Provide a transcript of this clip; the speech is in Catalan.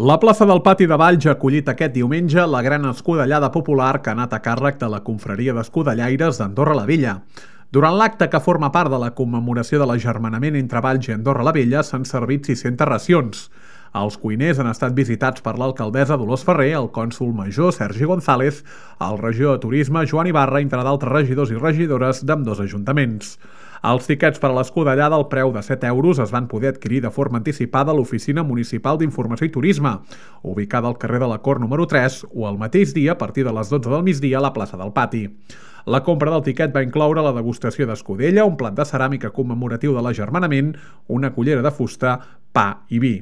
La plaça del Pati de Valls ha acollit aquest diumenge la gran escudellada popular que ha anat a càrrec de la confraria d'escudellaires d'Andorra la Vella. Durant l'acte, que forma part de la commemoració de l'agermanament entre Valls i Andorra la Vella, s'han servit 600 racions. Els cuiners han estat visitats per l'alcaldessa Dolors Ferrer, el cònsol major Sergi González, el regidor de Turisme Joan Ibarra, entre d'altres regidors i regidores d'ambdós ajuntaments. Els tiquets per a l'escudellada al preu de 7 euros es van poder adquirir de forma anticipada a l'Oficina Municipal d'Informació i Turisme, ubicada al carrer de la Cort número 3, o al mateix dia, a partir de les 12 del migdia, a la plaça del Pati. La compra del tiquet va incloure la degustació d'escudella, un plat de ceràmica commemoratiu de l'agermanament, una cullera de fusta, pa i vi.